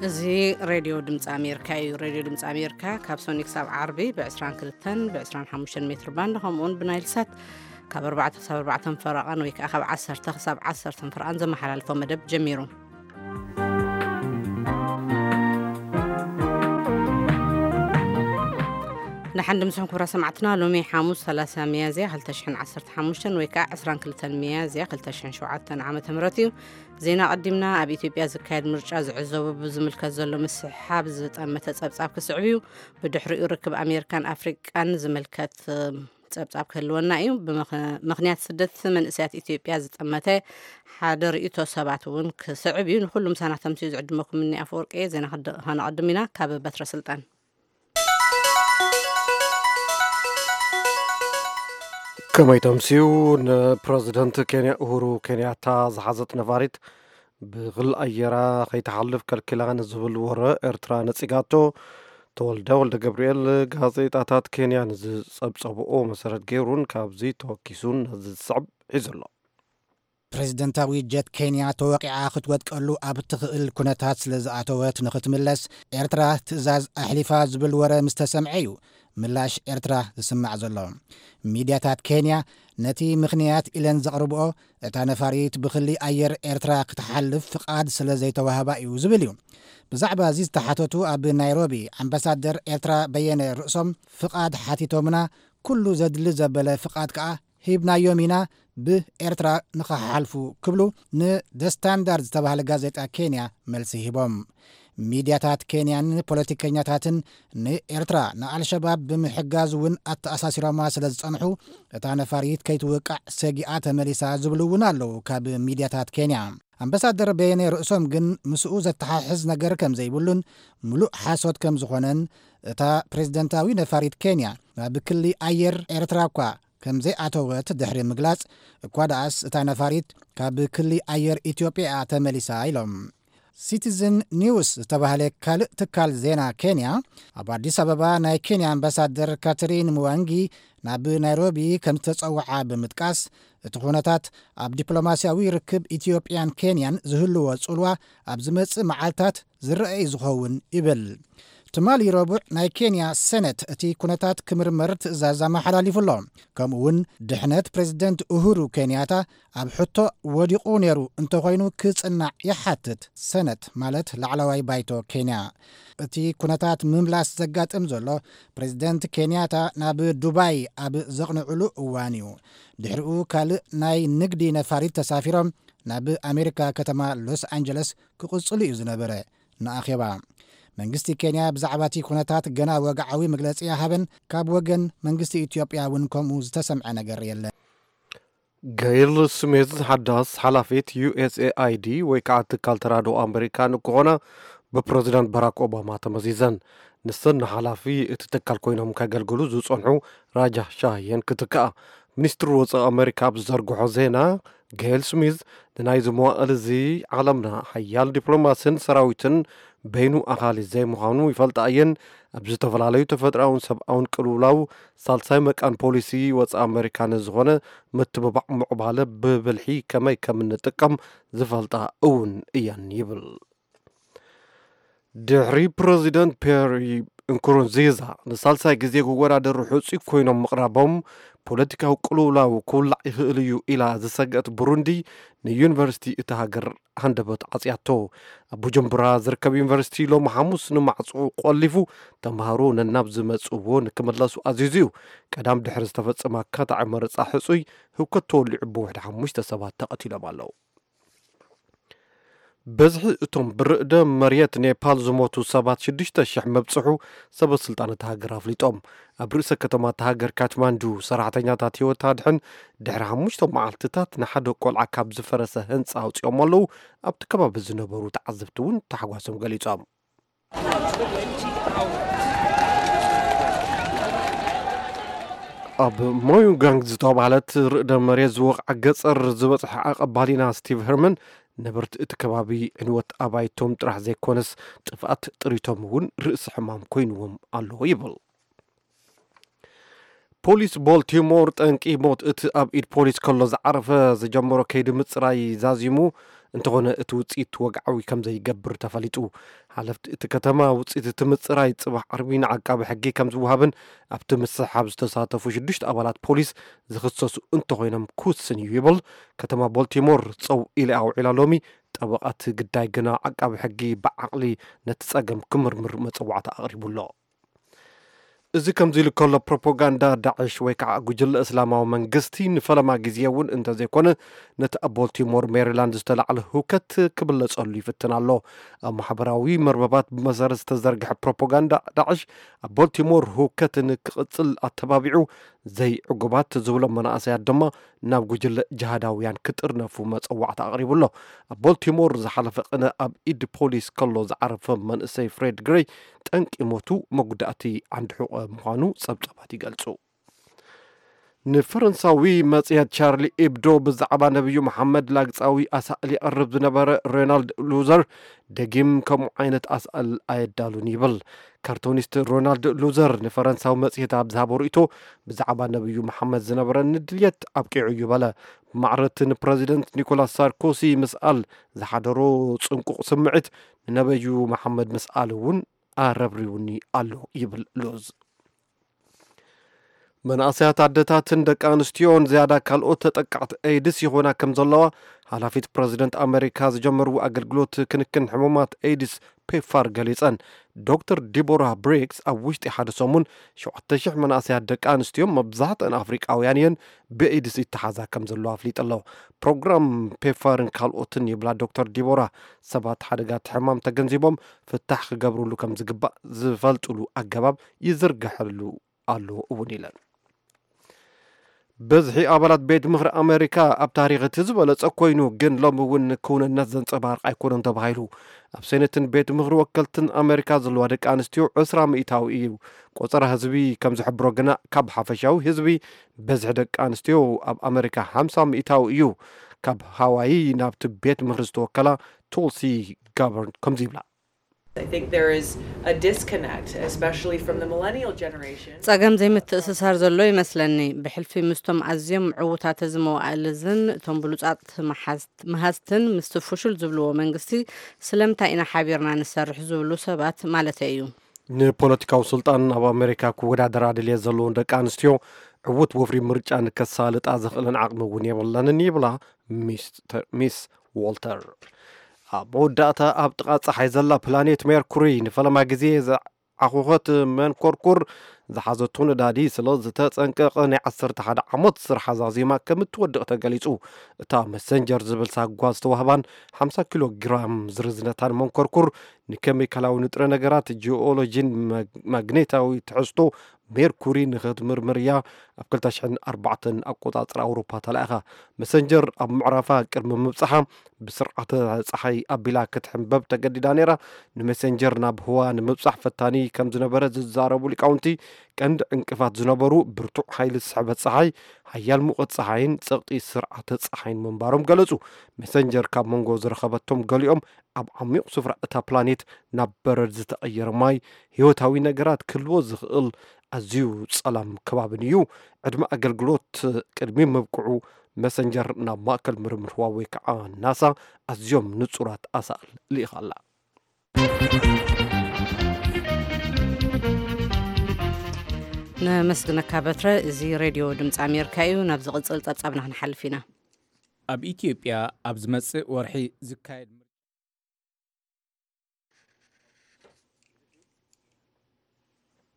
እዚ ሬድዮ ድምፂ ኣሜሪካ እዩ። ሬድዮ ድምፂ ኣሜሪካ ካብ ሰኒ ክሳብ ዓርቢ ብ22ን ብ25 ሜትር ባንድ፣ ከምኡውን ብናይል ሳት ካብ ኣርባዕተ ክሳብ ኣርባዕተ ፈረቓን ወይ ከዓ ካብ ዓሰርተ ክሳብ ዓሰርተ ፈረቓን ዘመሓላልፎ መደብ ጀሚሩ። ንሓን ድምስኹም ክብራ ሰማዕትና፣ ሎሚ ሓሙስ ሰላሳ ሚያዝያ ክልተ ሽሕን ዓሰርተ ሓሙሽተን ወይ ከዓ ዕስራን ክልተን ሚያዝያ ክልተ ሽሕን ሸውዓተን ዓመተ ምህረት እዩ። ዜና ቀዲምና። ኣብ ኢትዮጵያ ዝካየድ ምርጫ ዝዕዘቡ ብዝምልከት ዘሎ ምስሕሓብ ዝጠመተ ጸብጻብ ክስዕብ እዩ። ብድሕሪኡ ርክብ ኣሜሪካን ኣፍሪቃን ዝምልከት፣ እ፣ ጸብጻብ ክህልወና እዩ። ብምኽ-፣ ምኽንያት ስደት መንእሰያት ኢትዮጵያ ዝጠመተ ሓደ ርእይቶ ሰባት እውን ክስዕብ እዩ። ንኹሉ ምሳና ተምስዩ ዝዕድመኩም እኒ ኣፈወርቂ እየ። ዜና ክድ-፣ ከነቐድም ኢና። ካብ በትረ ስልጣን። ከመይ ተምስዩ? ንፕረዚደንት ኬንያ ኡሁሩ ኬንያታ ዝሓዘት ነፋሪት ብክሊ ኣየራ ከይትሓልፍ ከልኪላ ንዝብል ወረ ኤርትራ ነጺጋቶ። ተወልደ ወልደ ገብርኤል ጋዜጣታት ኬንያ ንዝጸብጸብኦ መሰረት ገይሩን ካብዚ ተወኪሱን ነዚ ዝስዕብ ሒዙ ኣሎ። ፕሬዝደንታዊ ጀት ኬንያ ተወቂዓ ክትወድቀሉ ኣብ እትኽእል ኩነታት ስለ ዝኣተወት ንኽትምለስ ኤርትራ ትእዛዝ ኣሕሊፋ ዝብል ወረ ምስ ተሰምዐ እዩ ምላሽ ኤርትራ ዝስማዕ ዘሎ። ሚድያታት ኬንያ ነቲ ምኽንያት ኢለን ዘቕርብኦ፣ እታ ነፋሪት ብክሊ ኣየር ኤርትራ ክትሓልፍ ፍቓድ ስለ ዘይተዋህባ እዩ ዝብል እዩ። ብዛዕባ እዚ ዝተሓተቱ ኣብ ናይሮቢ ኣምባሳደር ኤርትራ በየነ ርእሶም፣ ፍቓድ ሓቲቶምና፣ ኩሉ ዘድሊ ዘበለ ፍቓድ ከኣ ሂብናዮም ኢና፣ ብኤርትራ ንኽሓልፉ ክብሉ ንደ ስታንዳርድ ዝተባህለ ጋዜጣ ኬንያ መልሲ ሂቦም። ሚድያታት ኬንያን ፖለቲከኛታትን ንኤርትራ ንኣልሸባብ ብምሕጋዝ እውን ኣተኣሳሲሮማ ስለ ዝጸንሑ፣ እታ ነፋሪት ከይትውቃዕ ሰጊኣ ተመሊሳ ዝብሉ እውን ኣለዉ ካብ ሚድያታት ኬንያ። ኣምባሳደር በየነ ርእሶም ግን ምስኡ ዘተሓሕዝ ነገር ከም ዘይብሉን ምሉእ ሓሶት ከም ዝኾነን፣ እታ ፕሬዝደንታዊ ነፋሪት ኬንያ ናብ ክሊ ኣየር ኤርትራ እኳ ከም ዘይኣተወት ድሕሪ ምግላጽ፣ እኳ ደኣስ እታ ነፋሪት ካብ ክሊ ኣየር ኢትዮጵያ እያ ተመሊሳ ኢሎም። ሲቲዝን ኒውስ ዝተባህለ ካልእ ትካል ዜና ኬንያ፣ ኣብ ኣዲስ ኣበባ ናይ ኬንያ ኣምባሳደር ካተሪን ምዋንጊ ናብ ናይሮቢ ከም ዝተጸውዓ ብምጥቃስ፣ እቲ ኩነታት ኣብ ዲፕሎማስያዊ ርክብ ኢትዮጵያን ኬንያን ዝህልዎ ጽልዋ ኣብ ዝመጽእ መዓልታት ዝረአ እዩ ዝኸውን ይብል። ትማሊ ረቡዕ ናይ ኬንያ ሰነት እቲ ኩነታት ክምርመር ትእዛዝ ኣመሓላሊፉ ኣሎ። ከምኡ እውን ድሕነት ፕሬዝደንት ኡሁሩ ኬንያታ ኣብ ሕቶ ወዲቑ ነይሩ እንተኾይኑ ክጽናዕ ይሓትት ሰነት፣ ማለት ላዕለዋይ ባይቶ ኬንያ። እቲ ኩነታት ምምላስ ዘጋጥም ዘሎ ፕሬዝደንት ኬንያታ ናብ ዱባይ ኣብ ዘቕንዕሉ እዋን እዩ። ድሕሪኡ ካልእ ናይ ንግዲ ነፋሪት ተሳፊሮም ናብ ኣሜሪካ ከተማ ሎስ ኣንጀለስ ክቕጽሉ እዩ ዝነበረ ንኣኼባ። መንግስቲ ኬንያ ብዛዕባ እቲ ኩነታት ገና ወግዓዊ መግለጺ ኣይሃበን። ካብ ወገን መንግስቲ ኢትዮጵያ እውን ከምኡ ዝተሰምዐ ነገር የለን። ገይል ስሚዝ ሓዳስ ሓላፊት ዩ ኤስ ኤ ኣይ ዲ ወይ ከዓ ትካል ተራድኦ ኣመሪካ ንክኾና ብፕረዚደንት ባራክ ኦባማ ተመዚዘን። ንሰን ንሓላፊ እቲ ትካል ኮይኖም ከገልግሉ ዝጸንሑ ራጃ ሻህ እየን ክትክኣ። ሚኒስትሪ ወፃኢ ኣመሪካ ኣብ ዝዘርግሖ ዜና፣ ገይል ስሚዝ ንናይዚ መዋእል እዚ ዓለምና ሓያል ዲፕሎማስን ሰራዊትን በይኑ ኣኻሊ ዘይምዃኑ ይፈልጣ እየን። ኣብ ዝተፈላለዩ ተፈጥሮኣውን ሰብኣውን ቅልውላው ሳልሳይ መቃን ፖሊሲ ወፃኢ ኣመሪካ ንዝኾነ ምትብባዕ ምዕባለ ብብልሒ ከመይ ከም እንጥቀም ዝፈልጣ እውን እየን ይብል። ድሕሪ ፕረዚደንት ፒየር ንኩሩንዚዛ ንሳልሳይ ግዜ ክወዳደሩ ሕጹይ ኮይኖም ምቕራቦም፣ ፖለቲካዊ ቅልውላው ክውላዕ ይኽእል እዩ ኢላ ዝሰግአት ቡሩንዲ፣ ንዩኒቨርሲቲ እታ ሃገር ሃንደበት ዓጽያቶ። ኣብ ቡጁምቡራ ዝርከብ ዩኒቨርሲቲ ሎሚ ሓሙስ ንማዕጾ ቆሊፉ፣ ተምሃሮ ነናብ ዝመጽእዎ ንክምለሱ ኣዚዙ እዩ። ቀዳም ድሕሪ ዝተፈጸመ ኣካታዒ መረጻ ሕጹይ ህውከት ተወሊዑ ብውሕዲ ሓሙሽተ ሰባት ተቐቲሎም ኣለዉ። በዝሒ እቶም ብርዕደ መሬት ኔፓል ዝሞቱ ሰባት ሽዱሽተ ሽሕ መብጽሑ ሰበ ስልጣን እታ ሃገር ኣፍሊጦም። ኣብ ርእሰ ከተማ እታ ሃገር ካትማንዱ ሰራሕተኛታት ህይወት ኣድሕን ድሕሪ ሓሙሽተ መዓልትታት ንሓደ ቆልዓ ካብ ዝፈረሰ ህንጻ ኣውጺኦም ኣለዉ። ኣብቲ ከባቢ ዝነበሩ ተዓዘብቲ እውን ታሕጓሶም ገሊጾም። ኣብ ሞዩጋንግ ዝተባህለት ርዕደ መሬት ዝወቕዓ ገጸር ዝበጽሐ ዓቐብ ባሊና ስቲቭ ሄርመን ነበርቲ እቲ ከባቢ ዕንወት ኣባይቶም ጥራሕ ዘይኮነስ ጥፍኣት ጥሪቶም እውን ርእሲ ሕማም ኮይንዎም ኣሎ ይብል። ፖሊስ ቦልቲሞር ጠንቂ ሞት እቲ ኣብ ኢድ ፖሊስ ከሎ ዝዓረፈ ዝጀመሮ ከይዲ ምፅራይ ዛዚሙ፣ እንተኾነ እቲ ውፅኢት ወግዓዊ ከም ዘይገብር ተፈሊጡ። ሓለፍቲ እቲ ከተማ ውፅኢት እቲ ምፅራይ ፅባሕ ዓርቢ ንዓቃቢ ሕጊ ከም ዝወሃብን ኣብቲ ምስሕሓብ ዝተሳተፉ ሽዱሽተ ኣባላት ፖሊስ ዝኽሰሱ እንተኾይኖም ክውስን እዩ ይብል። ከተማ ቦልቲሞር ፀው ኢለ ኣውዒላ ሎሚ። ጠበቓ እቲ ግዳይ ግና ዓቃቢ ሕጊ ብዓቕሊ ነቲ ፀገም ክምርምር መፀዋዕታ ኣቕሪቡ ኣሎ። እዚ ከምዚ ኢሉ ከሎ፣ ፕሮፓጋንዳ ዳዕሽ ወይ ከዓ ጉጅለ እስላማዊ መንግስቲ ንፈለማ ግዜ እውን እንተዘይኮነ ነቲ ኣብ ቦልቲሞር ሜሪላንድ ዝተላዕለ ህውከት ክብለጸሉ ይፍትን ኣሎ። ኣብ ማሕበራዊ መርበባት ብመሰረት ዝተዘርግሐ ፕሮፓጋንዳ ዳዕሽ ኣብ ቦልቲሞር ህውከት ንክቕጽል ኣተባቢዑ ዘይዕጉባት ዝብሎም መናእሰያት ድማ ናብ ጉጅለ ጅሃዳውያን ክጥርነፉ መጸዋዕታ ኣቕሪቡ ኣሎ። ኣብ ቦልቲሞር ዝሓለፈ ቅነ ኣብ ኢድ ፖሊስ ከሎ ዝዓረፈ መንእሰይ ፍሬድ ግሬይ ጠንቂ ሞቱ መጉዳእቲ ዓንዲ ሕቖ ምዃኑ ጸብጻባት ይገልጹ። ንፈረንሳዊ መጽሔት ቻርሊ ኢብዶ ብዛዕባ ነብዩ መሓመድ ላግጻዊ ኣሳእል የቕርብ ዝነበረ ሬናልድ ሉዘር ደጊም ከምኡ ዓይነት ኣሳእል ኣየዳሉን ይብል። ካርቶኒስት ሮናልድ ሉዘር ንፈረንሳዊ መጽሔት ኣብ ዝሃቦ ርእይቶ ብዛዕባ ነብዩ መሓመድ ዝነበረኒ ድልየት ኣብቂዑ እዩ በለ። ብማዕረ እቲ ንፕረዚደንት ኒኮላስ ሳርኮሲ ምስኣል ዝሓደሮ ጽንቁቕ ስምዒት ንነበዩ መሓመድ ምስኣል እውን ኣረብሪውኒ ኣሎ ይብል ሉዝ። መናእሰያት ኣደታትን ደቂ ኣንስትዮን ዝያዳ ካልኦት ተጠቃዕቲ ኤድስ ይኾና ከም ዘለዋ ሓላፊት ፕረዚደንት ኣሜሪካ ዝጀመርዎ ኣገልግሎት ክንክን ሕሙማት ኤድስ ፔፋር ገሊጸን። ዶክተር ዲቦራ ብሪግስ ኣብ ውሽጢ ሓደ ሰሙን ሸውዓተ ሽሕ መናእሰያት ደቂ ኣንስትዮ መብዛሕትአን ኣፍሪቃውያን እየን ብኤድስ ይተሓዛ ከም ዘለዋ ኣፍሊጡ ኣሎ። ፕሮግራም ፔፋርን ካልኦትን ይብላ ዶክተር ዲቦራ ሰባት ሓደጋ እቲ ሕማም ተገንዚቦም ፍታሕ ክገብርሉ ከም ዝግባእ ዝፈልጥሉ ኣገባብ ይዝርግሐሉ ኣሎ እውን ኢለን። በዝሒ ኣባላት ቤት ምኽሪ ኣሜሪካ ኣብ ታሪኽ እቲ ዝበለጸ ኮይኑ፣ ግን ሎሚ እውን ክውንነት ዘንጸባርቕ ኣይኮነን ተባሂሉ። ኣብ ሴኔትን ቤት ምኽሪ ወከልትን ኣሜሪካ ዘለዋ ደቂ ኣንስትዮ ዕስራ ሚእታዊ እዩ። ቆጸራ ህዝቢ ከም ዝሕብሮ ግና ካብ ሓፈሻዊ ህዝቢ በዝሒ ደቂ ኣንስትዮ ኣብ ኣሜሪካ ሓምሳ ሚእታዊ እዩ። ካብ ሃዋይ ናብቲ ቤት ምኽሪ ዝተወከላ ቱልሲ ጋበርን ከምዚ ይብላ። I think there is a disconnect, especially from the millennial generation. ጸገም ዘይምትእስሳር ዘሎ ይመስለኒ። ብሕልፊ ምስቶም ኣዝዮም ምዕዉታት እዚ መዋእልዝን እቶም ብሉጻት መሓዝ-፣ መሃዝትን ምስቲ ፍሹል ዝብልዎ መንግስቲ ስለምንታይ ኢና ሓቢርና ንሰርሕ ዝብሉ ሰባት ማለተይ እዩ። ንፖለቲካዊ ስልጣን ኣብ ኣሜሪካ ክወዳደራ ድልየት ዘለውን ደቂ ኣንስትዮ ዕዉት ወፍሪ ምርጫ ንከሳልጣ ዘኽእለን ዓቕሚ እውን የብለንን ይብላ ሚስተር፣ ሚስ ዎልተር። ኣብ መወዳእታ ኣብ ጥቓ ጸሓይ ዘላ ፕላኔት ሜርኩሪ ንፈለማ ግዜ ዝዓኾኸት መንኮርኩር ዝሓዘቶ ነዳዲ ስለ ዝተጸንቀቐ ናይ ዓሰርተ ሓደ ዓመት ስራሕ ዛዚማ ከም እትወድቕ ተገሊጹ። እታ መሰንጀር ዝብል ሳጓ ዝተዋህባን ሓምሳ ኪሎ ግራም ዝርዝነታን መንኮርኩር ንኬሚካላዊ ንጥረ ነገራት፣ ጂኦሎጂን ማግ-፣ ማግኔታዊ ትሕዝቶ ሜርኩሪ ንኽትምርምር እያ ኣብ ክልተ ሽሕን ኣርባዕተን ኣቆጻጽራ ኣውሮፓ ተላኢኻ። መሰንጀር ኣብ ምዕራፋ ቅድሚ ምብጻሓ ብስርዓተ ጸሓይ ኣቢላ ክትሕንበብ ተገዲዳ ነይራ። ንመሰንጀር ናብ ህዋ ንምብጻሕ ፈታኒ ከም ዝነበረ ዝዛረቡ ሊቃውንቲ፣ ቀንዲ ዕንቅፋት ዝነበሩ ብርቱዕ ሓይሊ ዝስሕበት ጸሓይ፣ ሓያል ሙቐት ጸሓይን ጸቕጢ ስርዓተ ጸሓይን ምንባሮም ገለጹ። መሰንጀር ካብ መንጎ ዝረኸበቶም ገሊኦም ኣብ ዓሚቕ ስፍራ እታ ፕላኔት ናብ በረድ ዝተቐየረ ማይ ህይወታዊ ነገራት ክህልዎ ዝኽእል ኣዝዩ ጸላም ከባብን እዩ። ዕድመ ኣገልግሎት ቅድሚ ምብቅዑ መሰንጀር ናብ ማእከል ምርምር ህዋ ወይ ከዓ ናሳ ኣዝዮም ንጹራት ኣሳእል ልኢኻ ኣላ። ነመስግነካ በትረ። እዚ ሬድዮ ድምፂ ኣሜሪካ እዩ። ናብ ዝቕፅል ፀብፃብና ክንሓልፍ ኢና። ኣብ ኢትዮጵያ ኣብ ዝመጽእ ወርሒ ዝካየድ ምርጫ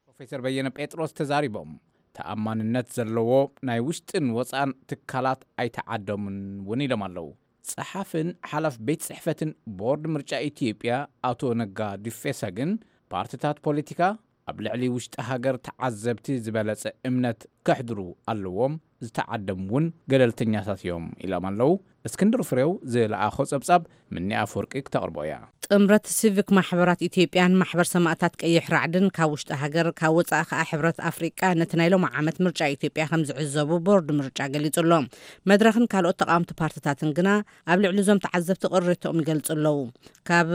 ፕሮፌሰር በየነ ጴጥሮስ ተዛሪቦም። ተኣማንነት ዘለዎ ናይ ውሽጥን ወጻእን ትካላት ኣይተዓደሙን እውን ኢሎም ኣለዉ። ጸሓፍን ሓላፍ ቤት ጽሕፈትን ቦርድ ምርጫ ኢትዮጵያ ኣቶ ነጋ ዱፌሳ ግን ፓርትታት ፖለቲካ ኣብ ልዕሊ ውሽጢ ሃገር ተዓዘብቲ ዝበለጸ እምነት ከሕድሩ ኣለዎም፣ ዝተዓደሙ እውን ገለልተኛታት እዮም ኢሎም ኣለዉ። እስክንድር ፍሬው ዝለኣኾ ጸብጻብ ምኒ ኣፈወርቂ ክተቕርቦ እያ። ጥምረት ሲቪክ ማሕበራት ኢትዮጵያን ማሕበር ሰማእታት ቀይሕ ራዕድን ካብ ውሽጢ ሃገር፣ ካብ ወጻኢ ከኣ ሕብረት ኣፍሪቃ ነቲ ናይ ሎሚ ዓመት ምርጫ ኢትዮጵያ ከም ዝዕዘቡ ቦርድ ምርጫ ገሊጹ ኣሎ። መድረኽን ካልኦት ተቓወምቲ ፓርትታትን ግና ኣብ ልዕሊ እዞም ተዓዘብቲ ቅሬቶኦም ይገልጹ ኣለዉ። ካብ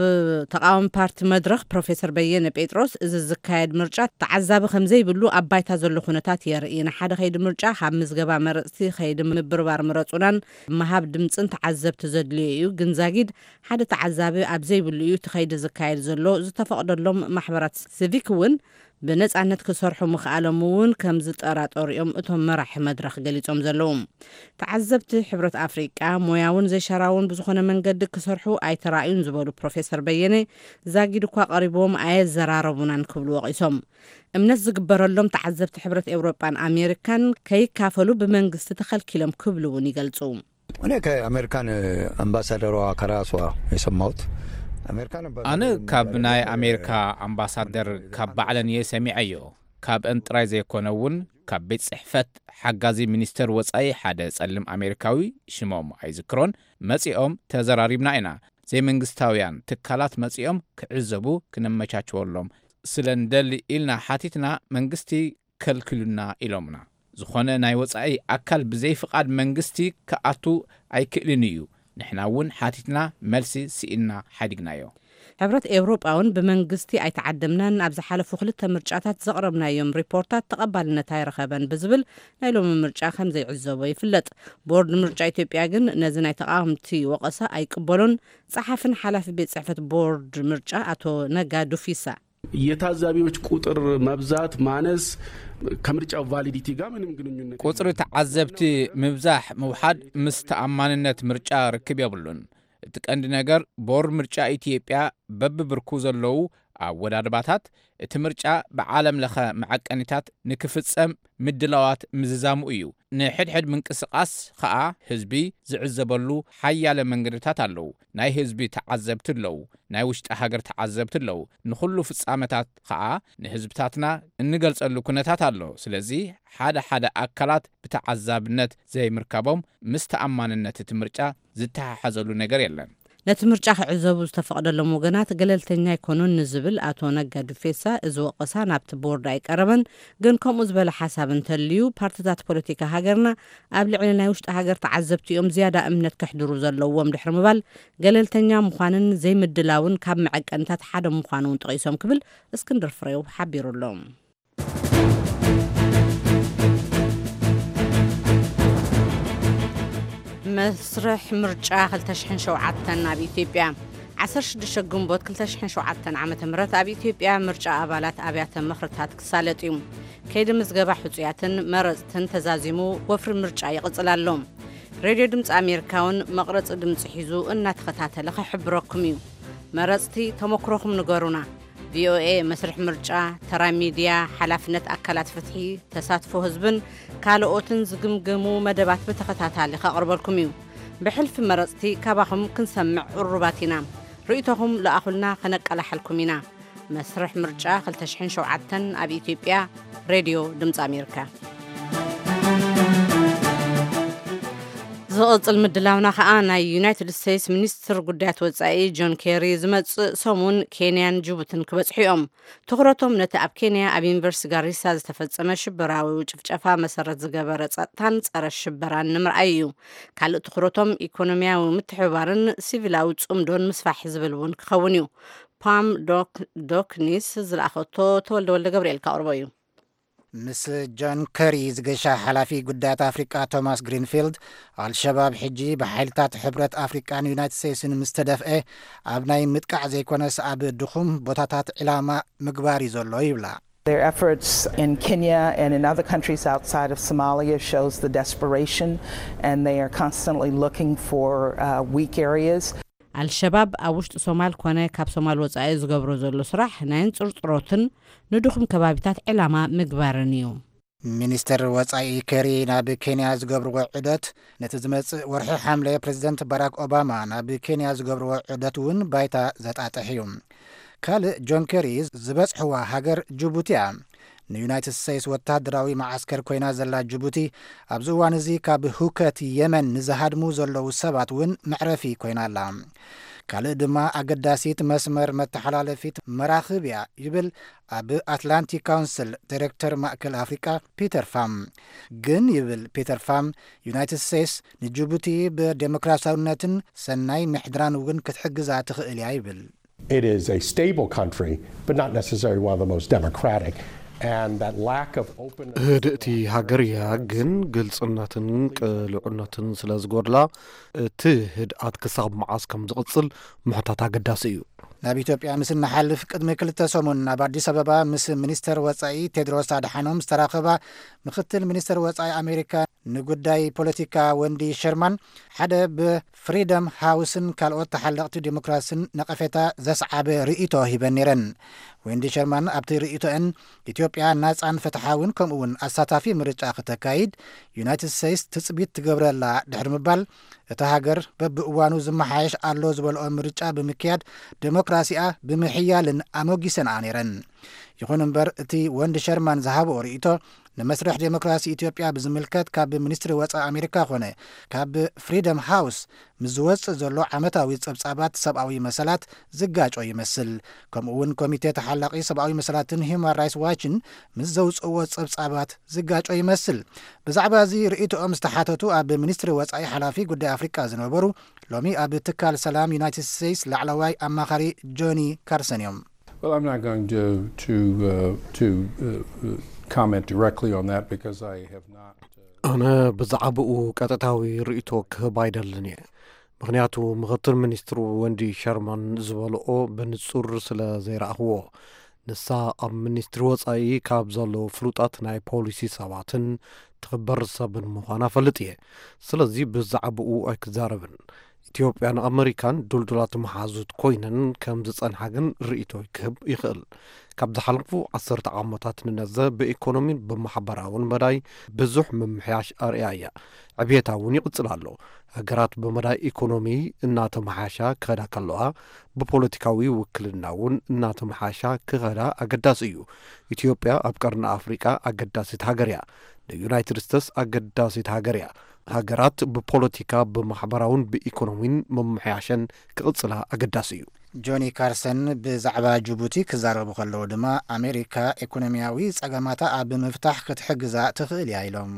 ተቓዋሚ ፓርቲ መድረኽ ፕሮፌሰር በየነ ጴጥሮስ፣ እዚ ዝካየድ ምርጫ ተዓዛቢ ከም ዘይብሉ ኣብ ባይታ ዘሎ ኩነታት የርኢ። ንሓደ ከይዲ ምርጫ ካብ ምዝገባ መረጽቲ ከይዲ ምብርባር ምረጹናን ምሃብ ድምጽን ተዓዘብቲ ዘድልዮ እዩ፣ ግን ዛጊድ ሓደ ተዓዛቢ ኣብ ዘይብሉ እዩ እቲ ከይዲ ዝካየድ ዘሎ። ዝተፈቕደሎም ማሕበራት ሲቪክ እውን ብነጻነት ክሰርሑ ምኽኣሎም እውን ከም ዝጠራጠሩ እዮም እቶም መራሒ መድረኽ ገሊጾም ዘለዉ። ተዓዘብቲ ሕብረት ኣፍሪቃ ሞያውን ዘይሸራውን ብዝኾነ መንገዲ ክሰርሑ ኣይተራእዩን ዝበሉ ፕሮፌሰር በየነ፣ ዛጊድ እኳ ቀሪቦም ኣየዘራረቡናን ክብሉ ወቒሶም። እምነት ዝግበረሎም ተዓዘብቲ ሕብረት ኤውሮጳን ኣሜሪካን ከይካፈሉ ብመንግስቲ ተኸልኪሎም ክብሉ እውን ይገልጹ። እኔ ከአሜሪካን አምባሳደሯ ከራሷ የሰማሁት። አሜሪካን አምባሳደር ኣነ ካብ የሚባለው ናይ ነገር ኣሜሪካ ኣምባሳደር ካብ ባዕለን እየ ሰሚዐዮ። ካብአን ጥራይ ዘይኮነ እውን ካብ ቤት ጽሕፈት ሓጋዚ ሚኒስተር ወጻኢ ሓደ ጸሊም ኣሜሪካዊ፣ ሽሞም ኣይዝክሮን፣ መጺኦም ተዘራሪብና ኢና። ዘይመንግስታውያን ትካላት መጺኦም ክዕዘቡ ክነመቻችወሎም ስለ እንደሊ ኢልና ሓቲትና፣ መንግስቲ ከልክሉና ኢሎምና። ዝኾነ ናይ ወጻኢ ኣካል ብዘይ ፍቓድ መንግስቲ ክኣቱ ኣይክእልን እዩ። ንሕና እውን ሓቲትና፣ መልሲ ስኢንና ሓዲግናዮ። ሕብረት ኤውሮጳ እውን ብመንግስቲ ኣይተዓደምናን፣ ኣብ ዝሓለፉ ክልተ ምርጫታት ዘቕረብናዮም ሪፖርታት ተቐባልነት ኣይረኸበን ብዝብል ናይ ሎሚ ምርጫ ከም ዘይዕዘቦ ይፍለጥ። ቦርድ ምርጫ ኢትዮጵያ ግን ነዚ ናይ ተቓወምቲ ወቐሳ ኣይቅበሎን። ጸሓፍን ሓላፊ ቤት ጽሕፈት ቦርድ ምርጫ ኣቶ ነጋ ዱፊሳ የታዛቢዎች ቁጥር መብዛት ማነስ ከምርጫው ቫሊዲቲ ጋር ምንም ግንኙነት ቁጽሪ ተዓዘብቲ ምብዛሕ ምውሓድ ምስ ተኣማንነት ምርጫ ርክብ የብሉን። እቲ ቀንዲ ነገር ቦርድ ምርጫ ኢትዮጵያ በብብርኩ ዘለዉ ኣወዳድባታት እቲ ምርጫ ብዓለም ለኸ መዐቀኒታት ንክፍጸም ምድላዋት ምዝዛሙ እዩ። ንሕድሕድ ምንቅስቓስ ኸኣ ህዝቢ ዝዕዘበሉ ሓያለ መንገድታት ኣለዉ። ናይ ህዝቢ ተዓዘብቲ ኣለዉ፣ ናይ ውሽጢ ሃገር ተዓዘብቲ ኣለዉ። ንኹሉ ፍጻመታት ኸኣ ንህዝብታትና እንገልጸሉ ኩነታት ኣሎ። ስለዚ ሓደ ሓደ ኣካላት ብተዓዛብነት ዘይምርካቦም ምስ ተኣማንነት እቲ ምርጫ ዝተሓሓዘሉ ነገር የለን። ነቲ ምርጫ ክዕዘቡ ዝተፈቕደሎም ወገናት ገለልተኛ ኣይኮኑን ንዝብል ኣቶ ነጋ ዱፌሳ፣ እዚ ወቐሳ ናብቲ ቦርድ ኣይቀረበን። ግን ከምኡ ዝበለ ሓሳብ እንተልዩ፣ ፓርትታት ፖለቲካ ሃገርና ኣብ ልዕሊ ናይ ውሽጢ ሃገር ተዓዘብቲ እዮም ዝያዳ እምነት ከሕድሩ ዘለዎም ድሕሪ ምባል፣ ገለልተኛ ምዃንን ዘይምድላውን ካብ መዐቀንታት ሓደ ምዃኑ እውን ጠቒሶም ክብል እስክንድር ፍሬው ሓቢሩ ኣሎ። መስርሕ ምርጫ ክልተ ሽሕን ሸውዓተን ኣብ ኢትዮጵያ። ዓሰርተ ሽዱሽተ ግንቦት ክልተ ሽሕን ሸውዓተን ዓመተ ምህረት ኣብ ኢትዮጵያ ምርጫ ኣባላት ኣብያተ ምኽርታት ክሳለጥ እዩ። ከይዲ ምዝገባ ሕጹያትን መረጽትን ተዛዚሙ፣ ወፍሪ ምርጫ ይቕጽል ኣሎ። ሬድዮ ድምፂ ኣሜሪካ እውን መቕረፂ ድምፂ ሒዙ እናተኸታተለ ክሕብረኩም እዩ። መረፅቲ፣ ተመክሮኹም ንገሩና። ቪኦኤ መስርሕ ምርጫ፣ ተራ ሚድያ፣ ሓላፍነት ኣካላት ፍትሒ፣ ተሳትፎ ህዝብን ካልኦትን ዝግምግሙ መደባት ብተኸታታሊ ከቕርበልኩም እዩ። ብሕልፊ መረፅቲ ካባኹም ክንሰምዕ ቅሩባት ኢና። ርእይቶኹም ለኣኹልና፣ ከነቀላሓልኩም ኢና። መስርሕ ምርጫ ክልተ ሽሕን ሸውዓተን ኣብ ኢትዮጵያ። ሬድዮ ድምፂ ኣሜሪካ። ዝቕጽል ምድላውና ከኣ ናይ ዩናይትድ ስቴትስ ሚኒስትር ጉዳያት ወጻኢ ጆን ኬሪ ዝመጽእ ሰሙን ኬንያን ጅቡትን ክበጽሑ እዮም። ትኹረቶም ነቲ ኣብ ኬንያ ኣብ ዩኒቨርሲቲ ጋሪሳ ዝተፈጸመ ሽበራዊ ጭፍጨፋ መሰረት ዝገበረ ጸጥታን ጸረ ሽበራን ንምርኣይ እዩ። ካልእ ትኹረቶም ኢኮኖሚያዊ ምትሕብባርን ሲቪላዊ ጽምዶን ምስፋሕ ዝብል እውን ክኸውን እዩ። ፓም ዶክ- ዶክኒስ ዝለኣኸቶ ተወልደ ወልደ ገብርኤል ከቕርቦ እዩ። ምስ ጆን ከሪ ዝገሻ ሓላፊ ጉዳያት ኣፍሪቃ ቶማስ ግሪንፊልድ፣ ኣልሸባብ ሕጂ ብሓይልታት ሕብረት ኣፍሪቃን ዩናይትድ ስቴትስን ምስ ተደፍአ፣ ኣብ ናይ ምጥቃዕ ዘይኮነስ ኣብ ድኹም ቦታታት ዕላማ ምግባር እዩ ዘሎ ይብላ። Their efforts in Kenya and in other countries outside of Somalia shows the desperation, and they are constantly looking for uh, weak areas. ኣልሸባብ ኣብ ውሽጢ ሶማል ኮነ ካብ ሶማል ወጻኢ ዝገብሮ ዘሎ ስራሕ ናይ እንጽርጽሮትን ንድኹም ከባቢታት ዕላማ ምግባርን እዩ። ሚኒስትር ወጻኢ ኬሪ ናብ ኬንያ ዝገብርዎ ዑደት፣ ነቲ ዝመጽእ ወርሒ ሓምለ ፕሬዚደንት ባራክ ኦባማ ናብ ኬንያ ዝገብርዎ ዑደት እውን ባይታ ዘጣጥሕ እዩ። ካልእ ጆን ኬሪ ዝበጽሕዋ ሃገር ጅቡቲ እያ። ንዩናይትድ ስቴትስ ወታደራዊ መዓስከር ኮይና ዘላ ጅቡቲ፣ ኣብዚ እዋን እዚ ካብ ሁከት የመን ንዝሃድሙ ዘለዉ ሰባት እውን መዕረፊ ኮይና ኣላ። ካልእ ድማ ኣገዳሲት መስመር መተሓላለፊት መራኽብ እያ ይብል ኣብ ኣትላንቲክ ካውንስል ዳይሬክተር ማእከል ኣፍሪቃ ፒተር ፋም። ግን ይብል ፒተር ፋም፣ ዩናይትድ ስቴትስ ንጅቡቲ ብዴሞክራሲያውነትን ሰናይ ምሕድራን እውን ክትሕግዛ ትኽእል እያ ይብል። It is a stable country, but not necessarily one of the most democratic. And that lack of openness. ህድእቲ ሃገር እያ፣ ግን ግልጽነትን ቅሉዕነትን ስለ ዝጎድላ እቲ ህድኣት ክሳብ መዓስ ከም ዝቕጽል ምሕታት ኣገዳሲ እዩ። ናብ ኢትዮጵያ ምስ እንሓልፍ፣ ቅድሚ ክልተ ሰሙን ናብ ኣዲስ ኣበባ ምስ ሚኒስተር ወጻኢ ቴድሮስ ኣድሓኖም ዝተራኸባ ምክትል ሚኒስተር ወጻኢ ኣሜሪካ ንጉዳይ ፖለቲካ ወንዲ ሸርማን፣ ሓደ ብፍሪደም ሃውስን ካልኦት ተሓለቕቲ ዲሞክራስን ነቐፌታ ዘስዓበ ርእይቶ ሂበን ነይረን። ወንዲ ሸርማን ኣብቲ ርእይቶአን፣ ኢትዮጵያ ናጻን ፍትሓውን ከምኡውን ኣሳታፊ ምርጫ ክተካይድ ዩናይትድ ስቴትስ ትጽቢት ትገብረላ ድሕሪ ምባል፣ እታ ሃገር በብእዋኑ ዝመሓየሽ ኣሎ ዝበልኦ ምርጫ ብምክያድ፣ ዴሞክራሲኣ ብምሕያልን ኣሞጊሰንኣ ነይረን። ይኹን እምበር፣ እቲ ወንዲ ሸርማን ዝሃብኦ ርእይቶ፣ ንመስርሕ ዴሞክራሲ ኢትዮጵያ ብዝምልከት ካብ ሚኒስትሪ ወጻኢ ኣሜሪካ ኮነ ካብ ፍሪደም ሃውስ ምስ ዝወጽእ ዘሎ ዓመታዊ ጸብጻባት ሰብኣዊ መሰላት ዝጋጮ ይመስል። ከምኡ እውን ኮሚቴ ተሓላቒ ሰብኣዊ መሰላትን ሂውማን ራይትስ ዋችን ምስ ዘውጽእዎ ጸብጻባት ዝጋጮ ይመስል። ብዛዕባ እዚ ርእይቶኦም ዝተሓተቱ ኣብ ሚኒስትሪ ወጻኢ ሓላፊ ጉዳይ ኣፍሪቃ ዝነበሩ፣ ሎሚ ኣብ ትካል ሰላም ዩናይትድ ስቴትስ ላዕለዋይ ኣማኻሪ ጆኒ ካርሰን እዮም። Well, I'm not going to to uh, to uh, uh, comment directly on that because I have not. Uh, ኣነ ብዛዕባኡ ቀጥታዊ ርእይቶ ክህብ ኣይደልን እየ፣ ምኽንያቱ ምኽትል ሚኒስትሩ ወንዲ ሸርማን ዝበልኦ ብንጹር ስለ ዘይረኣኽዎ። ንሳ ኣብ ሚኒስትሪ ወጻኢ ካብ ዘለዉ ፍሉጣት ናይ ፖሊሲ ሰባትን ትኽበር ሰብን ምዃና ፈልጥ እየ። ስለዚ ብዛዕባኡ ኣይክዛረብን። ኢትዮጵያን ኣመሪካን ድልዱላት መሓዙት ኮይነን ከም ዝጸንሓ ግን ርእይቶይ ክህብ ይኽእል። ካብ ዝሓለፉ ዓሰርተ ዓመታት ንነዘ ብኢኮኖሚን ብማሕበራውን መዳይ ብዙሕ ምምሕያሽ ኣርእያ እያ። ዕብየታ እውን ይቕጽል ኣሎ። ሃገራት ብመዳይ ኢኮኖሚ እናተመሓሻ ክኸዳ ከለዋ፣ ብፖለቲካዊ ውክልና እውን እናተመሓሻ ክኸዳ ኣገዳሲ እዩ። ኢትዮጵያ ኣብ ቀርኒ ኣፍሪቃ ኣገዳሲት ሃገር እያ። ንዩናይትድ ስቴትስ ኣገዳሲት ሃገር እያ። ሃገራት ብፖለቲካ፣ ብማሕበራውን ብኢኮኖሚን ምምሕያሸን ክቕጽላ ኣገዳሲ እዩ። ጆኒ ካርሰን ብዛዕባ ጅቡቲ ክዛረቡ ከለዉ ድማ፣ ኣሜሪካ ኢኮኖሚያዊ ጸገማታ ኣብ ምፍታሕ ክትሕግዛ ትኽእል እያ ኢሎም።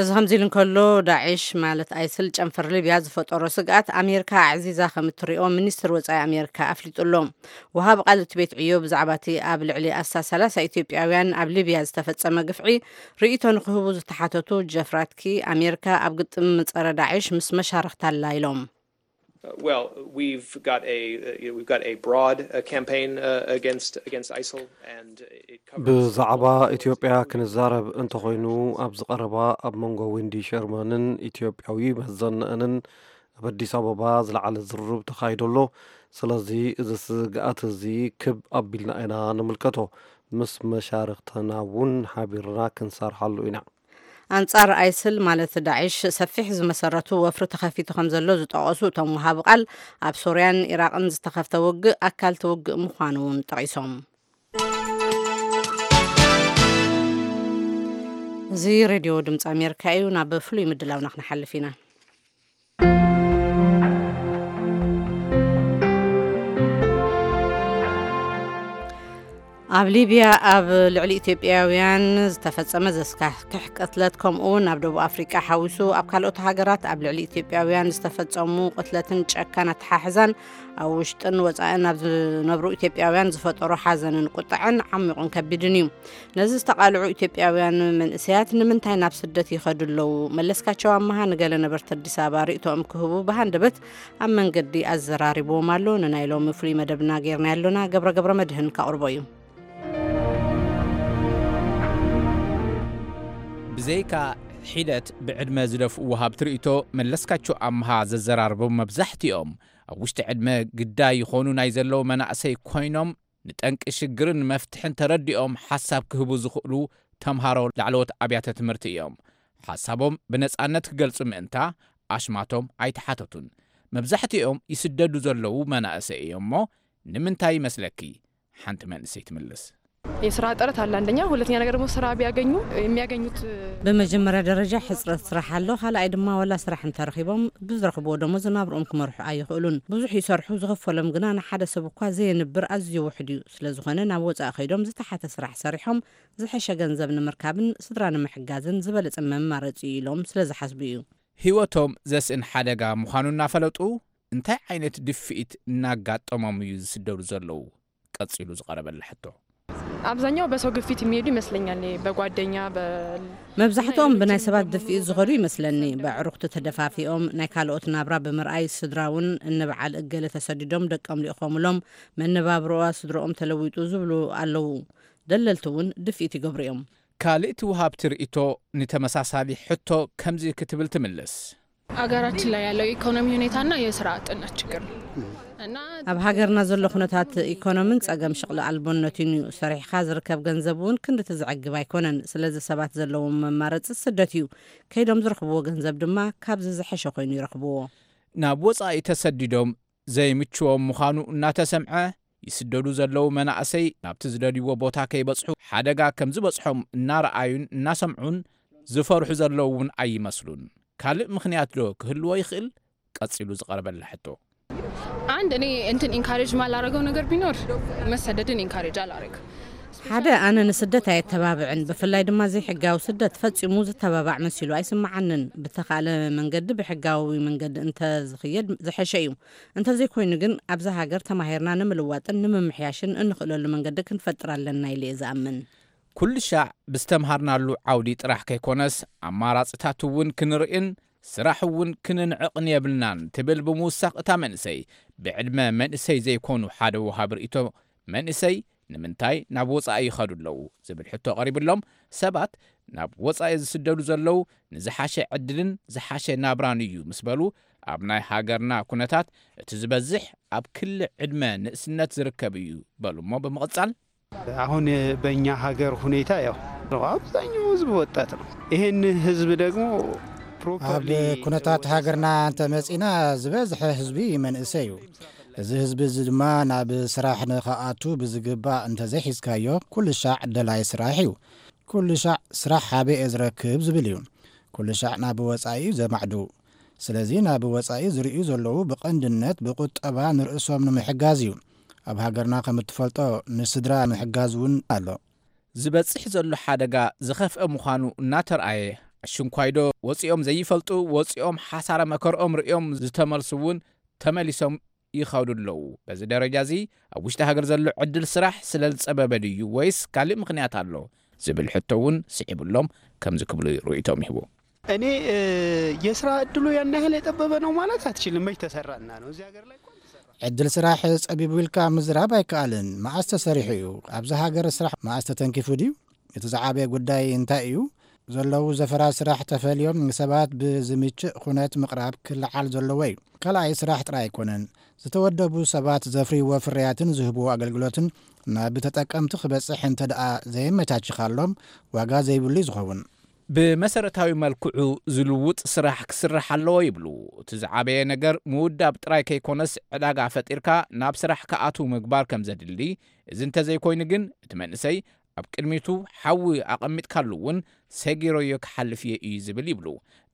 እዚ ከምዚ ኢሉ እንከሎ፣ ዳዒሽ ማለት ኣይስል ጨንፈር ሊብያ ዝፈጠሮ ስግኣት ኣሜሪካ ኣዕዚዛ ከም እትሪኦ ሚኒስትር ወጻኢ ኣሜሪካ ኣፍሊጡ ኣሎ። ወሃቢ ቃል እቲ ቤት ዕዮ ብዛዕባ እቲ ኣብ ልዕሊ ኣስታት ሰላሳ ኢትዮጵያውያን ኣብ ሊብያ ዝተፈጸመ ግፍዒ ርእይቶ ንክህቡ ዝተሓተቱ ጀፍ ራትኪ፣ ኣሜሪካ ኣብ ግጥም ጸረ ዳዒሽ ምስ መሻርኽታ ኣላ ኢሎም። Uh, well, we've got a uh, you know, we've got a broad uh, campaign uh, against against ISIL, and it covers ብዛዕባ ኢትዮጵያ ክንዛረብ እንተኾይኑ፣ ኣብዚ ቀረባ ኣብ መንጎ ዊንዲ ሸርማንን ኢትዮጵያዊ መዘንአንን ኣብ ኣዲስ ኣበባ ዝለዓለ ዝርርብ ተኻይዶ ኣሎ። ስለዚ እዚ ስግኣት እዚ ክብ ኣቢልና ኢና ንምልከቶ። ምስ መሻርኽትና እውን ሓቢርና ክንሰርሓሉ ኢና። ኣንጻር ኣይስል ማለት ዳዒሽ ሰፊሕ ዝመሰረቱ ወፍሪ ተኸፊቱ ከም ዘሎ ዝጠቐሱ እቶም ወሃቢ ቃል፣ ኣብ ሶርያን ኢራቕን ዝተኸፍተ ውግእ ኣካል እቲ ውግእ ምዃኑ እውን ጠቒሶም። እዚ ሬድዮ ድምፂ ኣሜሪካ እዩ። ናብ ፍሉይ ምድላውና ክንሓልፍ ኢና። ኣብ ሊብያ ኣብ ልዕሊ ኢትዮጵያውያን ዝተፈጸመ ዘስካሕክሕ ቅትለት፣ ከምኡ እውን ኣብ ደቡብ ኣፍሪቃ ሓዊሱ ኣብ ካልኦት ሃገራት ኣብ ልዕሊ ኢትዮጵያውያን ዝተፈጸሙ ቅትለትን ጨካን ኣተሓሕዛን ኣብ ውሽጥን ወጻእን ኣብ ዝነብሩ ኢትዮጵያውያን ዝፈጠሮ ሓዘንን ቁጥዐን ዓሚቑን ከቢድን እዩ። ነዚ ዝተቓልዑ ኢትዮጵያውያን መንእሰያት ንምንታይ ናብ ስደት ይኸዱ ኣለዉ? መለስካቸው ኣመሃ ንገለ ነበርቲ ኣዲስ ኣበባ ርእይቶኦም ክህቡ ብሃንደበት ኣብ መንገዲ ኣዘራሪብዎም ኣሎ። ንናይ ሎሚ ፍሉይ መደብና ጌርና ኣሎና። ገብረ ገብረ መድህን ካቕርቦ እዩ። ብዘይካ ሒደት ብዕድመ ዝደፍኡ ወሃብቲ ርእይቶ፣ መለስካቸው ኣምሃ ዘዘራርቦም መብዛሕትኦም ኣብ ውሽጢ ዕድመ ግዳይ ይኾኑ ናይ ዘለዉ መናእሰይ ኮይኖም፣ ንጠንቂ ሽግርን መፍትሕን ተረዲኦም ሓሳብ ክህቡ ዝኽእሉ ተምሃሮ ላዕለዎት ኣብያተ ትምህርቲ እዮም። ሓሳቦም ብነጻነት ክገልጹ ምእንታ ኣሽማቶም ኣይተሓተቱን። መብዛሕትኦም ይስደዱ ዘለዉ መናእሰይ እዮም እሞ፣ ንምንታይ ይመስለኪ? ሓንቲ መንእሰይ ትምልስ። የስራ ጥረት አለ አንደኛ፣ ሁለተኛ ነገር ደግሞ ስራ ቢያገኙ የሚያገኙት ብመጀመርያ ደረጃ ሕፅረት ስራሕ ኣሎ። ካልኣይ ድማ ዋላ ስራሕ እንተረኺቦም ብዝረኽብዎ ደሞዝ ናብርኦም ክመርሑ ኣይኽእሉን። ብዙሕ ይሰርሑ፣ ዝኽፈሎም ግና ንሓደ ሰብ እኳ ዘየንብር ኣዝዩ ውሕድ እዩ። ስለዝኾነ ናብ ወፃኢ ከይዶም ዝተሓተ ስራሕ ሰሪሖም ዝሐሸ ገንዘብ ንምርካብን ስድራ ንምሕጋዝን ዝበለፀ መማረፂ እዩ ኢሎም ስለዝሓስቡ እዩ። ህይወቶም ዘስእን ሓደጋ ምዃኑ እናፈለጡ እንታይ ዓይነት ድፍኢት እናጋጠሞም እዩ ዝስደዱ ዘለዉ? ቀጺሉ ዝቐረበላ ሕቶ። አብዛኛው በሰው ግፊት የሚሄዱ ይመስለኛል። በጓደኛ መብዛሕትኦም ብናይ ሰባት ድፍኢት ዝኸዱ ይመስለኒ። በዕሩኽቲ ተደፋፊኦም ናይ ካልኦት ናብራ ብምርኣይ ስድራ እውን እንበዓል እገለ ተሰዲዶም ደቆም ልኢኾምሎም መነባብሮኣ ስድሮኦም ተለዊጡ ዝብሉ ኣለዉ። ደለልቲ እውን ድፍኢት ይገብሩ እዮም። ካልእ ትውሃብቲ ርእይቶ ንተመሳሳሊ ሕቶ ከምዚ ክትብል ትምልስ። አገራችን ላይ ያለው የኢኮኖሚ ሁኔታና የስራ አጥነት ችግር ነው። ኣብ ሃገርና ዘሎ ኩነታት ኢኮኖምን ጸገም ሽቕሊ ኣልቦነትን እዩ። ሰሪሕኻ ዝርከብ ገንዘብ እውን ክንድቲ ዘዕግብ ኣይኮነን። ስለዚ ሰባት ዘለዎም መማረፂ ስደት እዩ። ከይዶም ዝረኽብዎ ገንዘብ ድማ ካብዚ ዝሐሸ ኮይኑ ይረኽብዎ። ናብ ወፃኢ ተሰዲዶም ዘይምችዎም ምዃኑ እናተሰምዐ ይስደዱ ዘለዉ መናእሰይ ናብቲ ዝደልይዎ ቦታ ከይበፅሑ ሓደጋ ከም ዝበፅሖም እናረኣዩን እናሰምዑን ዝፈርሑ ዘለዉ እውን ኣይመስሉን። ካልእ ምኽንያት ዶ ክህልዎ ይኽእል? ቀጺሉ ዝቐረበላ ሕቶ። አንድ እኔ እንትን ኢንካሬጅ ማላረገው ነገር ቢኖር መሰደድን ኢንካሬጅ አላረግ ሓደ ኣነ ንስደት ኣየተባብዕን። ብፍላይ ድማ ዘይሕጋዊ ስደት ፈጺሙ ዝተባባዕ መሲሉ ኣይስምዓንን። ብተኻእለ መንገዲ ብሕጋዊ መንገዲ እንተዝኽየድ ዝሐሸ እዩ። እንተዘይኮይኑ ግን ኣብዛ ሃገር ተማሂርና ንምልዋጥን ንምምሕያሽን እንኽእለሉ መንገዲ ክንፈጥር ኣለና ኢለ እየ ዝኣምን። ኩልሻዕ ብዝተምሃርናሉ ዓውዲ ጥራሕ ከይኮነስ ኣማራፅታት እውን ክንርእን ስራሕ እውን ክንንዕቕን የብልናን ትብል ብምውሳኽ እታ መንእሰይ ብዕድመ መንእሰይ ዘይኮኑ ሓደ ወሃቢ ርእይቶ መንእሰይ ንምንታይ ናብ ወፃኢ ይኸዱ ኣለዉ ዝብል ሕቶ ቀሪብሎም ሰባት ናብ ወፃኢ ዝስደዱ ዘለዉ ንዝሓሸ ዕድልን ዝሓሸ ናብራን እዩ ምስ በሉ ኣብ ናይ ሃገርና ኩነታት እቲ ዝበዝሕ ኣብ ክሊ ዕድመ ንእስነት ዝርከብ እዩ በሉ እሞ ብምቕፃል አሁን በእኛ ሀገር ሁኔታ ያው አብዛኛው ህዝብ ወጣት ነው። ይህን ህዝብ ደግሞ ኣብ ኩነታት ሃገርና እንተመፂና ዝበዝሐ ህዝቢ መንእሰይ እዩ። እዚ ህዝቢ እዚ ድማ ናብ ስራሕ ንኸኣቱ ብዝግባእ እንተዘይሒዝካዮ ኩሉ ሻዕ ደላይ ስራሕ እዩ። ኩሉ ሻዕ ስራሕ ሓበ እየ ዝረክብ ዝብል እዩ። ኩሉ ሻዕ ናብ ወፃኢ እዩ ዘማዕዱ። ስለዚ ናብ ወፃኢ ዝርእዩ ዘለዉ ብቐንድነት ብቁጠባ ንርእሶም ንምሕጋዝ እዩ። ኣብ ሃገርና ከም እትፈልጦ ንስድራ ምሕጋዝ እውን ኣሎ። ዝበፅሕ ዘሎ ሓደጋ ዝኸፍአ ምዃኑ እናተርኣየ ኣሽንኳይዶ ወፂኦም ዘይፈልጡ ወፂኦም ሓሳረ መከርኦም ርእዮም ዝተመልሱ እውን ተመሊሶም ይኸዱ ኣለዉ። በዚ ደረጃ እዚ ኣብ ውሽጢ ሃገር ዘሎ ዕድል ስራሕ ስለ ዝፀበበ ድዩ ወይስ ካልእ ምኽንያት ኣሎ ዝብል ሕቶ እውን ስዒቡሎም ከምዚ ክብሉ ርእይቶም ይህቡ። እኔ የስራ እድሉ ያን ያህል የጠበበ ነው ማለት አትችልም። መች ተሰራና ነው እዚህ ሀገር ላይ እኮ አልተሰራም። ዕድል ስራሕ ጸቢቡ ኢልካ ምዝራብ ኣይከኣልን። መኣስ ተሰሪሑ እዩ? ኣብዚ ሃገር ስራሕ መኣስ ተተንኪፉ ድዩ? እቲ ዝዓበየ ጉዳይ እንታይ እዩ? ዘለዉ ዘፈራት ስራሕ ተፈልዮም ንሰባት ብዝምችእ ኩነት ምቕራብ ክለዓል ዘለዎ እዩ። ካልኣይ ስራሕ ጥራይ ኣይኮነን። ዝተወደቡ ሰባት ዘፍርይዎ ፍርያትን ዝህብዎ ኣገልግሎትን ናብ ተጠቀምቲ ክበጽሕ እንተ ደኣ ዘየመቻችኻሎም ዋጋ ዘይብሉ እዩ ዝኸውን። ብመሰረታዊ መልክዑ ዝልውጥ ስራሕ ክስራሕ ኣለዎ ይብሉ። እቲ ዝዓበየ ነገር ምውዳብ ጥራይ ከይኮነስ ዕዳጋ ፈጢርካ ናብ ስራሕ ክኣትው ምግባር ከም ዘድሊ፣ እዚ እንተዘይኮይኑ ግን እቲ መንእሰይ ኣብ ቅድሚቱ ሓዊ ኣቐሚጥካሉ እውን ሰጊረዮ ክሓልፍ እየ እዩ ዝብል ይብሉ።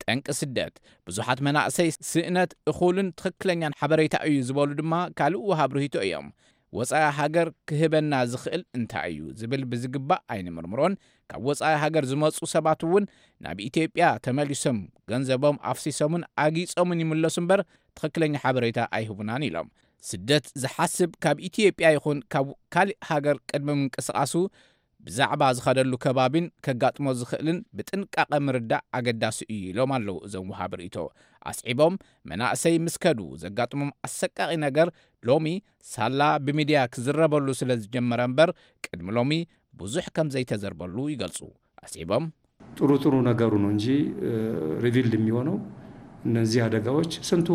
ጠንቂ ስደት ብዙሓት መናእሰይ ስእነት እኹልን ትኽክለኛን ሓበሬታ እዩ ዝበሉ ድማ ካልእ ወሃብ ርሂቶ እዮም። ወፃኢ ሃገር ክህበና ዝኽእል እንታይ እዩ ዝብል ብዝግባእ ኣይንምርምሮን። ካብ ወፃኢ ሃገር ዝመፁ ሰባት እውን ናብ ኢትዮጵያ ተመሊሶም ገንዘቦም ኣፍሲሶምን ኣጊፆምን ይምለሱ እምበር ትኽክለኛ ሓበሬታ ኣይህቡናን ኢሎም። ስደት ዝሓስብ ካብ ኢትዮጵያ ይኹን ካብ ካልእ ሃገር ቅድሚ ምንቅስቓሱ ብዛዕባ ዝኸደሉ ከባቢን ከጋጥሞ ዝኽእልን ብጥንቃቐ ምርዳእ ኣገዳሲ እዩ ኢሎም ኣለዉ እዞም ወሃቢ ርእይቶ። ኣስዒቦም መናእሰይ ምስ ከዱ ዘጋጥሞም ኣሰቃቒ ነገር ሎሚ ሳላ ብሚድያ ክዝረበሉ ስለ ዝጀመረ እምበር ቅድሚ ሎሚ ብዙሕ ከም ዘይተዘርበሉ ይገልጹ። ኣስዒቦም ጥሩ ጥሩ ነገሩ ነው እንጂ ሪቪልድ የሚሆነው እነዚህ አደጋዎች ስንቱ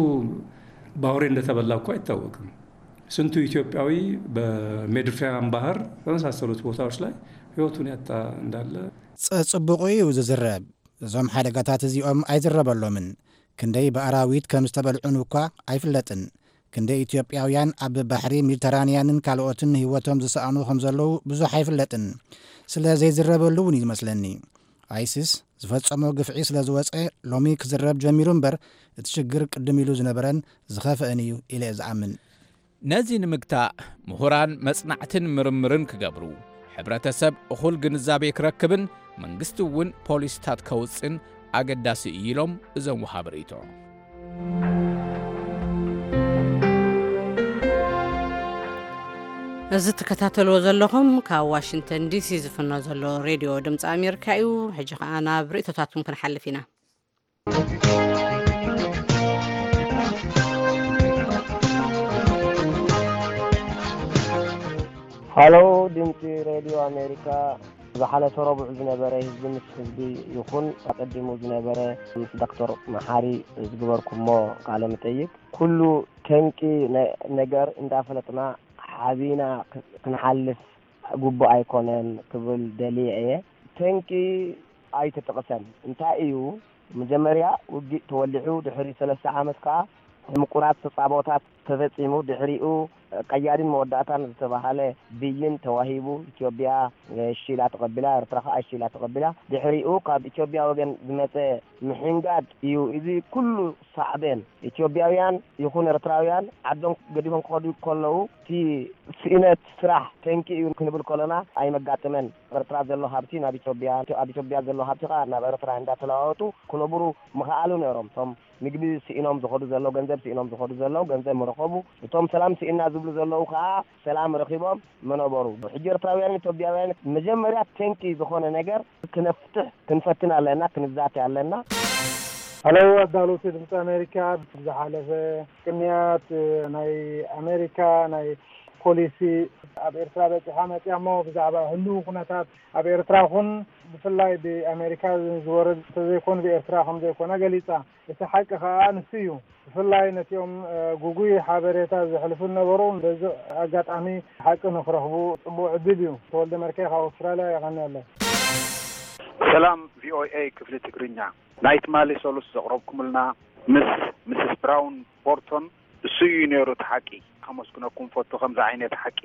በአውሬ እንደተበላ እኮ አይታወቅም። ስንቱ ኢትዮጵያዊ በሜዲትራኒያን ባህር በመሳሰሉት ቦታዎች ላይ ህይወቱን ያጣ እንዳለ ጸጽቡቑ እዩ ዝዝረብ። እዞም ሓደጋታት እዚኦም ኣይዝረበሎምን። ክንደይ ብኣራዊት ከም ዝተበልዑን እኳ ኣይፍለጥን። ክንደይ ኢትዮጵያውያን ኣብ ባሕሪ ሜዲተራንያንን ካልኦትን ህይወቶም ዝሰኣኑ ከም ዘለዉ ብዙሕ ኣይፍለጥን። ስለ ዘይዝረበሉ እውን እዩ ዝመስለኒ። ኣይሲስ ዝፈጸሞ ግፍዒ ስለ ዝወጸ ሎሚ ክዝረብ ጀሚሩ እምበር፣ እቲ ሽግር ቅድም ኢሉ ዝነበረን ዝኸፍአን እዩ ኢለ እየ ዝኣምን። ነዚ ንምግታእ ምሁራን መጽናዕትን ምርምርን ክገብሩ፣ ሕብረተሰብ እኹል ግንዛቤ ክረክብን መንግስቲ እውን ፖሊስታት ከውጽን ኣገዳሲ እዩ ኢሎም እዞም ወሃቢ ርእይቶ። እዚ ትከታተልዎ ዘለኹም ካብ ዋሽንግተን ዲሲ ዝፍኖ ዘሎ ሬድዮ ድምፂ ኣሜሪካ እዩ። ሕጂ ኸዓ ናብ ርእይቶታትኩም ክንሓልፍ ኢና። ሃሎ፣ ድምፂ ሬድዮ ኣሜሪካ። ዝሓለፈ ረቡዕ ዝነበረ ህዝቢ ምስ ህዝቢ ይኹን ኣቀዲሙ ዝነበረ ምስ ዶክተር መሓሪ ዝግበርኩሞ ቃለ መጠይቅ፣ ኩሉ ተንቂ ነ- ነገር እንዳፈለጥና ሓቢና ክ- ክንሓልፍ ግቡእ ኣይኮነን ክብል ደልየ እየ። ተንቂ ኣይተጠቕሰን። እንታይ እዩ? መጀመርያ ውግእ ተወሊዑ፣ ድሕሪ ሰለስተ ዓመት ከኣ ምቁራት ተጻቦታት ተፈጺሙ። ድሕሪኡ ቀያድን መወዳእታን ዝተባህለ ብይን ተዋሂቡ። ኢትዮጵያ እሺ ኢላ ተቐቢላ፣ ኤርትራ ከኣ እሺ ኢላ ተቐቢላ። ድሕሪኡ ካብ ኢትዮጵያ ወገን ዝመጸ ምሕንጋድ እዩ። እዚ ኩሉ ሳዕቤን ኢትዮጵያውያን ይኹን ኤርትራውያን ዓዶም ገዲፎም ክኸዱ ከለዉ እቲ ስእነት ስራሕ ተንቂ እዩ ክንብል ከለና ኣይመጋጥመን። ኤርትራ ዘሎ ሃብቲ ናብ ኢትዮጵያ፣ ኣብ ኢትዮጵያ ዘሎ ሃብቲ ከኣ ናብ ኤርትራ እንዳተለዋወጡ ክነብሩ ምኽኣሉ ነይሮም። እቶም ምግቢ ስኢኖም ዝኸዱ ዘለዉ፣ ገንዘብ ስኢኖም ዝኸዱ ዘለዉ ገንዘብ ምረኸቡ፣ እቶም ሰላም ስኢና ዝብሉ ዘለዉ ከኣ ሰላም ረኺቦም ምነበሩ። ሕጂ ኤርትራውያን ኢትዮጵያውያን መጀመርያ ተንቂ ዝኾነ ነገር ክነፍትሕ ክንፈትን ኣለና፣ ክንዛተ ኣለና። ሃሎ ኣዳለውቲ ድምፂ ኣሜሪካ፣ ዝሓለፈ ቅንያት ናይ ኣሜሪካ ናይ ፖሊሲ ኣብ ኤርትራ በፂሓ መፅያ እሞ ብዛዕባ ህልው ኩነታት ኣብ ኤርትራ ኹን ብፍላይ ብኣሜሪካ ዝወረድ ተዘይኮን ብኤርትራ ከም ዘይኮነ ገሊፃ። እቲ ሓቂ ከዓ ንሱ እዩ። ብፍላይ ነቲኦም ጉጉይ ሓበሬታ ዘሕልፉ ነበሩ በዚ ኣጋጣሚ ሓቂ ንክረኽቡ ፅቡቅ ዕድል እዩ። ተወልደ መርካይ ካብ ኣውስትራልያ የቐንየለይ። ሰላም ቪኦኤ ክፍሊ ትግርኛ፣ ናይ ትማሊ ሰሉስ ዘቕረብኩምልና ምስ ምስስ ብራውን ቦርቶን እሱ እዩ ነይሩ እቲ ሓቂ። ከመስግነኩም ፈቱ ከምዚ ዓይነት ሓቂ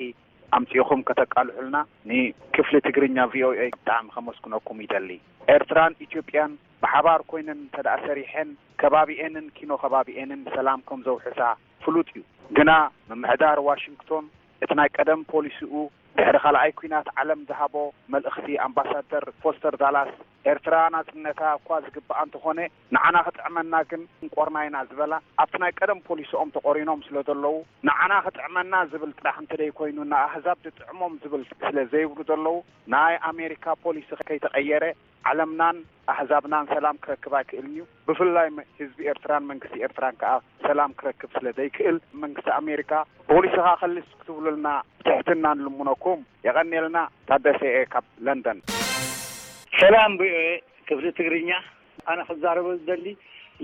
ኣምፂእኹም ከተቃልሑልና ንክፍሊ ትግርኛ ቪኦኤ ብጣዕሚ ከመስግነኩም ይደሊ። ኤርትራን ኢትዮጵያን ብሓባር ኮይነን እንተደኣ ሰሪሐን ከባቢኤንን ኪኖ ከባቢኤንን ሰላም ከም ዘውሕሳ ፍሉጥ እዩ። ግና ምምሕዳር ዋሽንግቶን እቲ ናይ ቀደም ፖሊሲኡ ድሕሪ ካልኣይ ኲናት ዓለም ዝሃቦ መልእኽቲ ኣምባሳደር ፎስተር ዳላስ ኤርትራ ናጽነታ እኳ ዝግብኣ እንተኾነ ንዓና ክጥዕመና ግን እንቆርና ኢና ዝበላ ኣብቲ ናይ ቀደም ፖሊሲኦም ተቖሪኖም ስለ ዘለዉ ንዓና ክጥዕመና ዝብል ጥራሕ እንተደይኮይኑ ንኣህዛብ ዝጥዕሞም ዝብል ስለ ዘይብሉ ዘለዉ ናይ ኣሜሪካ ፖሊሲ ከይተቐየረ ዓለምናን ኣህዛብናን ሰላም ክረክብ ኣይክእልን እዩ። ብፍላይ ህዝቢ ኤርትራን መንግስቲ ኤርትራን ከኣ ሰላም ክረክብ ስለ ዘይክእል መንግስቲ ኣሜሪካ ፖሊስኻ ከልስ ክትብሉልና ብትሕትና ንልምነኩም። የቐንየልና። ታደሰ እየ ካብ ለንደን። ሰላም ቪኦኤ ክፍሊ ትግርኛ፣ ኣነ ክዛረቦ ዝደሊ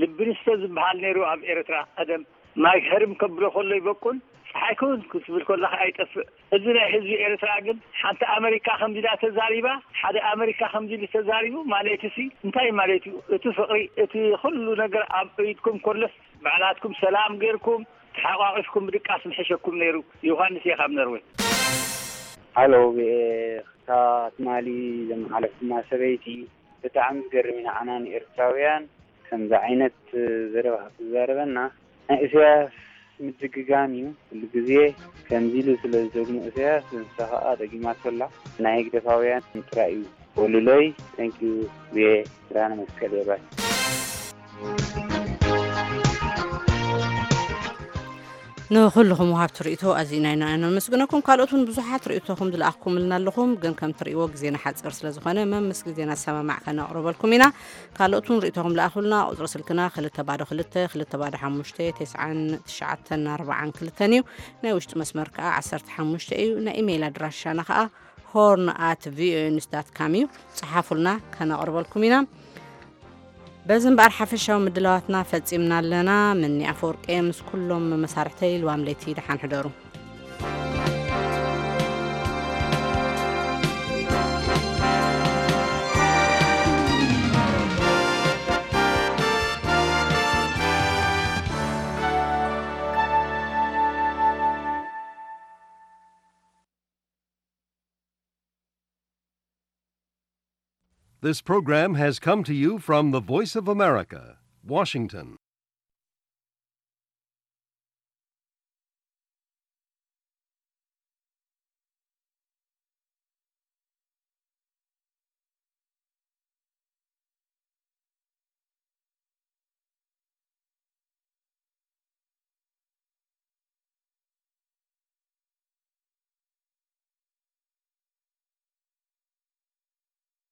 ልቢ ንስቶ ዝበሃል ነይሩ ኣብ ኤርትራ ቀደም ማይ ህርም ከብሎ ከሎ ይበቁል፣ ጸሓይ ክውን ክትብል ከላ ከኣ ይጠፍእ። እዚ ናይ ህዝቢ ኤርትራ ግን ሓንቲ ኣመሪካ ከምዚ ኢላ ተዛሪባ፣ ሓደ ኣመሪካ ከምዚ ኢሉ ተዛሪቡ ማለትሲ እንታይ ማለት እዩ? እቲ ፍቕሪ፣ እቲ ኩሉ ነገር ኣብ ኢድኩም ከሎስ ባዕላትኩም ሰላም ጌርኩም ተሓቋቒፍኩም ምድቃስ ምሐሸኩም ነይሩ። ዮሃንስ እየ ካብ ነርወይ። ሃሎ ቪኦኤ፣ እታ ትማሊ ዘመሓለፍኩማ ሰበይቲ ብጣዕሚ ዝገርም እዩ ንዓና ንኤርትራውያን ከምዚ ዓይነት ዘረባ ክትዛረበና። ናይ ኢሳያስ ምድግጋም እዩ ኩሉ ግዜ ከምዚ ኢሉ ስለ ዝደግሞ ኢሳያስ ንሳ ከኣ ደጊማቶ ኣላ። ናይ ህግደፋውያን ጥራይ እዩ ወልሎይ። Thank you ቪኦኤ። ብርሃነ መስቀል የባይ። ንኹልኹም ወሃብቲ ርእይቶ ኣዚና ኢና ነመስግነኩም። ካልኦት እውን ብዙሓት ርእይቶኹም ዝለኣኽኩምልና ኣለኹም፣ ግን ከም ትርእይዎ ግዜና ሓፂር ስለ ዝኾነ መምስ ግዜና ዝሰማማዕ ከነቕርበልኩም ኢና። ካልኦት እውን ርእይቶኹም ለኣኹልና። ቁፅሪ ስልክና ክልተ ባዶ ክልተ ክልተ ባዶ ሓሙሽተ ተስዓን ትሽዓተን ኣርባዓን ክልተን እዩ። ናይ ውሽጢ መስመር ከዓ ዓሰርተ ሓሙሽተ እዩ። ናይ ኢሜይል ኣድራሻና ከዓ ሆርን ኣት ቪኦኤ ኒውስ ዳት ካም እዩ። ፀሓፉልና፣ ከነቕርበልኩም ኢና። በዚ እምበኣር ሓፈሻዊ ምድላዋትና ፈጺምና ኣለና። ምኒ ኣፈወርቂ ምስ ኩሎም መሳርሕተይ ልዋም ለይቲ ደሓን ሕደሩ። This program has come to you from the Voice of America, Washington.